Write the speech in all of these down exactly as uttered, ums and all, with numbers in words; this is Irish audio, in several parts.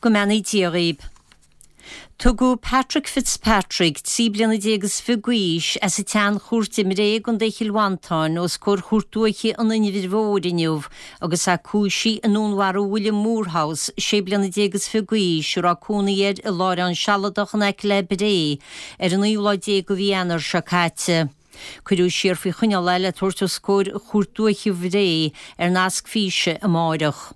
Go mbeannaí Dia dhaoib. Tugadh Patrick Fitzpatrick, trí bliana déag is fiche d'aois, as an tSeanchúirt i mBré i gContae Chill Mhantáin os comhair Chúirt Dúiche an Inbhir Mhóir inniu agus é cúisithe i ndúnmharú William Moorhouse, sé bliana déag is fiche d'aois, a raibh cónaí air i láithreán sealadach in aice le Bré ar an naoú lá déag de mhí Eanáir seo caite. Cuireadh siar faoi choinneáil é le tabhairt os comhair Chúirt Dúiche Bhré ar nasc físe amáireach.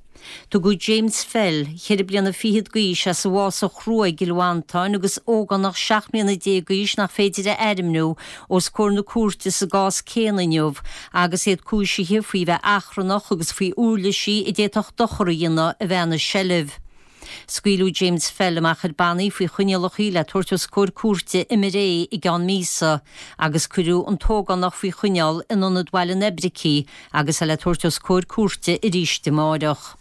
Tugadh James Fell, ceithre bliana fichead d'aois, as an bhFásach Chrua i gCill Mhantáin agus ógánach seacht mbliana déag d'aois nach féidir a ainmniú, os comhair na cúirte sa gcás céanna inniu agus iad cúisithe faoi bheith achrannach agus faoi uirlisí a d'fhéadfadh dochar a dhéanamh a bheith ina seilbh. Scaoileadh James Fell amach ar bannaí faoi choinníollacha le tabhairt os comhair cúirte i mBré i gceann míosa agus cuireadh an t-ógánach faoi choinneáil in Ionad Bhaile an Oibricigh agus é le tabhairt os comhair cúirte arís amáireach.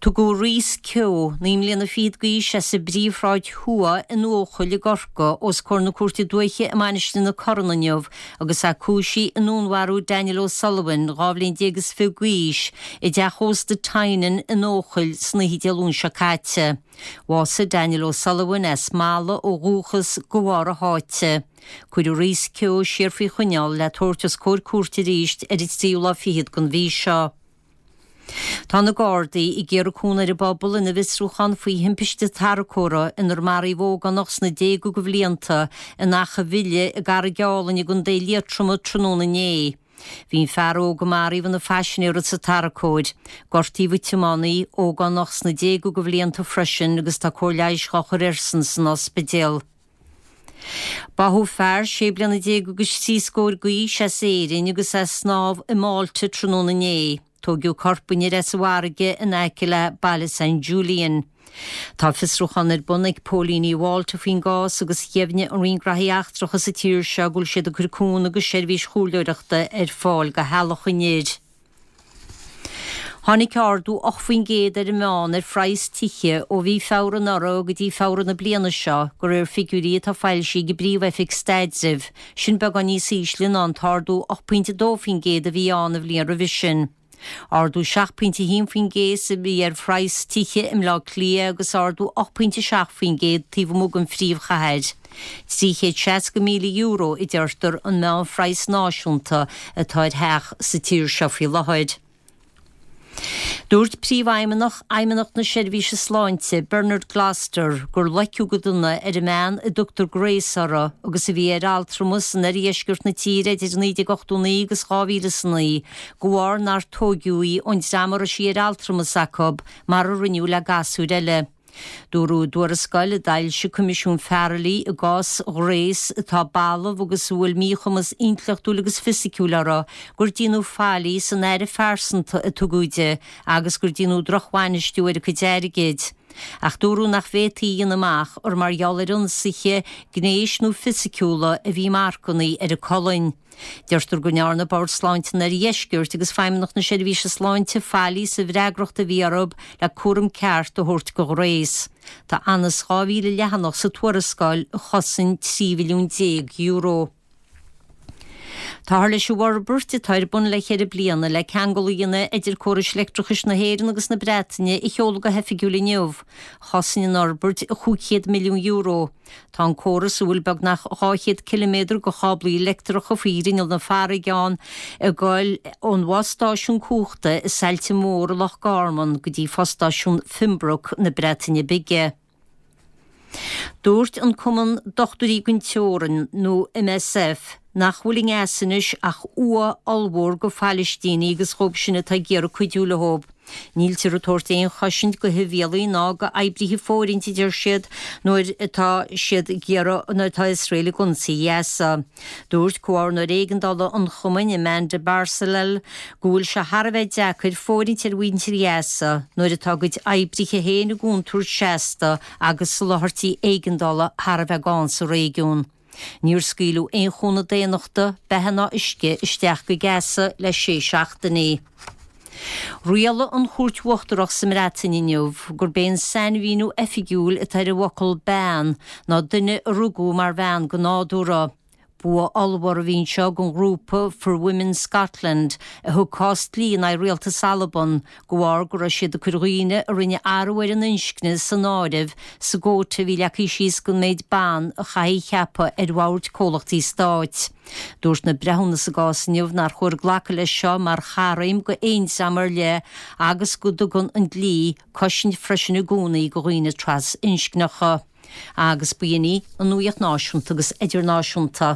Tugadh Rhys Keogh, naoi mbliana fichead d'aois, as an bPríomhshráid Thuaidh in Eochaill i gCorcaigh, os comhair na Cúirte Dúiche i Mainistir na Corann inniu agus é cúisithe i ndúnmharú Daniel O'Sullivan, dhá bhliain déag is fiche d'aois, i dteach ósta Tynan in Eochaill san oíche Dé Luain seo caite. Bhásaigh Daniel O'Sullivan, as Mala ó dhúchas, de bharr a sháite. Cuireadh Rhys Keogh siar faoi choinneáil le tabhairt os comhair cúirte arís ar an tríú lá fichead den mhí seo. Tá na Gardaí ag iarraidh cúnamh ar an bpobal ina bhfiosrúchán faoi thimpiste tarracóra inar maraíodh ógánach sna déaga de bhlianta in Achadh Bhile i gCarraig Álainn i gContae Liatroma tráthnóna inné. Bhí an fear óg a maraíodh ina phaisinéir sa tarracóir. Gortaíodh an tiománaí, ógánach sna déaga de bhlianta freisin agus tá cóir leighis dhá chur airsean san ospidéal. Báthadh fear sé bliana déag agus trí scór d'aois as Éirinn agus é ag snámh i Malta tráthnóna inné. Tóigeadh corp an fhir as an bhfarraige in aice le baile San Julian. Tá fiosrúchán ar bun ag póilíní Mhálta faoin gcás agus dheimhnigh an Roinn Graithí Eachtracha sa tír seo go bhfuil siad ag cur cúnamh agus seirbhís chomhairleoireachta ar fáil do theaghlach an fhir. Tháinig ardú ocht faoin gcéad ar an meán ar phraghas tithe ó mhí Feabhra anuraidh go dtí Feabhra na bliana seo, de réir figiúirí atá foilsithe ag an bPríomh-Oifig Staidrimh. Sin beagán níos ísle ná an t-ardú ocht pointe dó faoin gcéad a bhí ann an bhliain roimhe sin. Ardú seacht pointe a haon faoin gcéad a bhí ar phraghas tithe i mBleá Cliath agus ardú ocht pointe seacht faoin gcéad taobh amuigh den phríomhchathair. Trí chéad seasca míle euro a deirtear an meánphraghas náisiúnta atá ar theach sa tír seo faoi láthair. Dúirt Príomhfheidhmeannach Fheidhmeannacht na Seirbhíse Sláinte, Bernard Gloster, gur loiceadh go dona ar an mbean a dtugtar Grace uirthi agus a bhí ar altramas in oirdheisceart na tíre idir naoi déag ochtó naoi agus dhá mhíle is a naoi de bharr nár tóigeadh í ón dream a raibh sí ar altramas acu mar a rinneadh le gasúir eile. Dúradh i dtuarascáil a d'fhoilsigh Coimisiún Farrelly i gcás Ghrace, atá balbh agus a bhfuil míchumas intleachtúil agus fisiciúil uirthi, gur déanadh faillí san aire phearsanta a tugadh di agus gur déanadh drochbhainistiú ar a cuid airgid. Ach dúradh nach bhféadfaí a dhéanamh amach gur mar gheall ar ionsaithe gnéis nó fisiciúla a bhí marcanna ar a colainn. Deirtear go ndearna Bord Sláinte an Oirdheiscirt agus Feidhmeannacht na Seirbhíse Sláinte faillí sa bhfreagracht a bhí orthu le cúram ceart a thabhairt do Ghrace. Tá anuas dhá mhíle leathanach sa tuarascáil a chosain trí mhilliún déag euro. Táthar leis an bhforbairt atá ar bun le ceithre bliana le ceangal a dhéanamh idir córais leictreachais na hÉireann agus na Breataine a sheoladh go hoifigiúil inniu. Chosain an fhorbairt chúig chéad milliún euro. Tá an córas, a bhfuil beagnach dhá chéad ciliméadar de cháblaí leictreacha faoi ghrinneall na farraige ann, ag goil ón bhfostáisiún cumhachta i Saillte Mór i Loch Garman go dtí fostáisiún Pembroke na Breataine Bige. Dúirt an Cumann Dochtúirí gan Teorainn, nó MSF, nach bhfuil i nGaza anois ach uaigh ollmhór do Phalaistínigh agus dhóibh sin atá ag iarraidh cuidiú leo. Níltear ag tabhairt aon chosaint do shibhialaigh ná do oibrithe fóirithinte, a deir siad, nuair atá siad ag iarraidh, nuair atá Iosrael ag ionsaí Ghaza. Dúirt Comhordaitheoir Éigeandála an chumainn, Amanda Bearsalel, go bhfuil sé thar a bheith deacair fóirithint ar mhuintir Ghaza nuair atá a gcuid oibrithe féin i gcontúirt seasta agus soláthairtí éigeandála thar a bheith gann sa réigiún. Níor scaoileadh aon chúnamh daonnachta, beatha ná uisce, isteach go Gaza le sé seachtainí. Rialaigh an Chúirt Uachtarach sa mBreatain inniu gurb é an sainmhíniú oifigiúil atá ar an bhfocal 'bean' ná duine a rugadh mar bhean go nádúrtha. Bua ollmhór a bhí anseo don ghrúpa For Women Scotland a thug cás dlí in aghaidh rialtas Alban de bharr go raibh siad ag cur dhaoine a rinne athrú ar a n-inscne san áireamh sa gcóta a bhí leagtha síos don méid ban a chaithfidh ceapadh ar bhoird comhlachtaí stáit. Dúirt na breithiúna sa gcás inniu nár chóir glacadh leis seo mar charm go aon dream ar leith agus go dtugann an dlí cosaint freisin i gcónaí do dhaoine trasinscneacha. Agus b'in í an nuacht náisiúnta agus idirnáisiúnta.